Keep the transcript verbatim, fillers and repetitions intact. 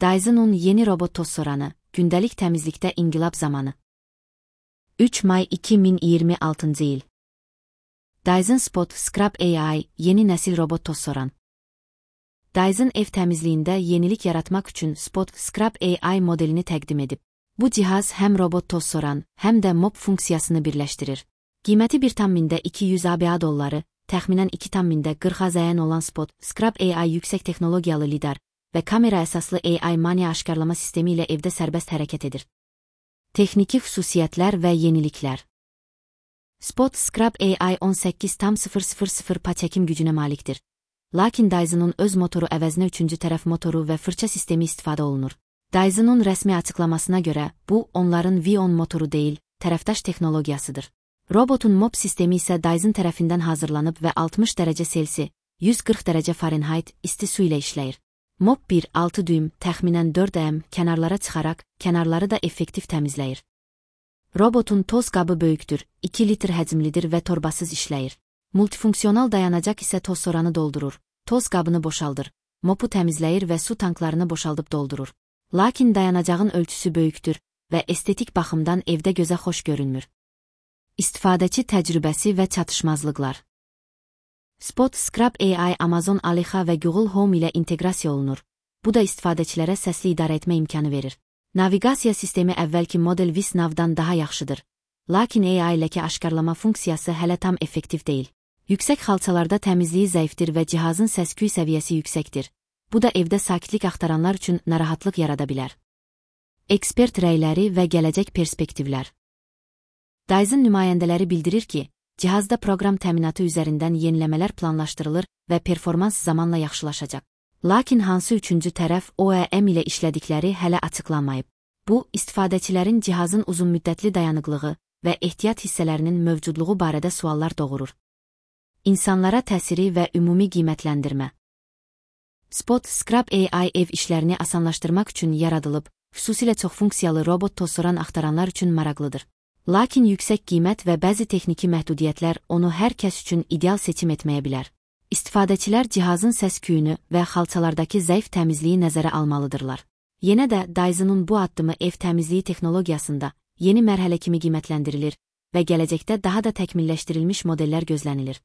Dyson'un yeni robot toz soranı, gündəlik təmizlikdə inqilab zamanı. üç may iki min iyirmi altıncı il. Dyson Spot Scrub A I, yeni nəsil robot toz soran. Dyson ev təmizliyində yenilik yaratmaq üçün Spot Scrub A I modelini təqdim edib. Bu cihaz həm robot toz soran, həm də mop funksiyasını birləşdirir. Qiyməti bir tam mində iki yüz ABA dolları, təxminən iki tam mində qırx azəyan olan Spot Scrub A I yüksək texnologiyalı lidar və kamera əsaslı A I maniya aşkarlama sistemi ilə evdə sərbəst hərəkət edir. Texniki xüsusiyyətlər və yeniliklər. Spot Scrub A I on səkkiz tam sıfır sıfır sıfır pa çəkim gücünə malikdir. Lakin Dyson'un öz motoru əvəzinə üçüncü tərəf motoru və fırça sistemi istifadə olunur. Dyson'un rəsmi açıqlamasına görə, bu, onların V on motoru deyil, tərəfdaş texnologiyasıdır. Robotun mop sistemi isə Dyson tərəfindən hazırlanıb və altmış dərəcə Selsi, yüz qırx dərəcə Fahrenheit isti su ilə işləyir. Mop bir altı düym, təxminən dörd əm kənarlara çıxaraq, kənarları da effektiv təmizləyir. Robotun toz qabı böyükdür, iki litr həcmlidir və torbasız işləyir. Multifunksional dayanacaq isə toz soranı doldurur, toz qabını boşaldır, mopu təmizləyir və su tanklarını boşaldıb doldurur. Lakin dayanacağın ölçüsü böyükdür və estetik baxımdan evdə gözə xoş görünmür. İstifadəçi təcrübəsi və çatışmazlıqlar. Spot Scrub A I Amazon Alexa və Google Home ilə inteqrasiya olunur. Bu da istifadəçilərə səsli idarə etmə imkanı verir. Naviqasiya sistemi əvvəlki model VisNav'dan daha yaxşıdır. Lakin A I ləkə aşkarlama funksiyası hələ tam effektiv deyil. Yüksək xalçalarda təmizliyi zəifdir və cihazın səs-küy səviyyəsi yüksəkdir. Bu da evdə sakitlik axtaranlar üçün narahatlıq yarada bilər. Ekspert rəyləri və gələcək perspektivlər. Dyson nümayəndələri bildirir ki, cihazda proqram təminatı üzərindən yeniləmələr planlaşdırılır və performans zamanla yaxşılaşacaq. Lakin hansı üçüncü tərəf O E M ilə işlədikləri hələ açıqlanmayıb. Bu, istifadəçilərin cihazın uzunmüddətli dayanıqlığı və ehtiyat hissələrinin mövcudluğu barədə suallar doğurur. İnsanlara təsiri və ümumi qiymətləndirmə. Spot Scrub A I ev işlərini asanlaşdırmaq üçün yaradılıb, xüsusilə çoxfunksiyalı robot toz soran axtaranlar üçün maraqlıdır. Lakin yüksək qiymət və bəzi texniki məhdudiyyətlər onu hər kəs üçün ideal seçim etməyə bilər. İstifadəçilər cihazın səs-küyünü və xalçalardakı zəif təmizliyi nəzərə almalıdırlar. Yenə də Dyson'un bu addımı ev təmizliyi texnologiyasında yeni mərhələ kimi qiymətləndirilir və gələcəkdə daha da təkmilləşdirilmiş modellər gözlənilir.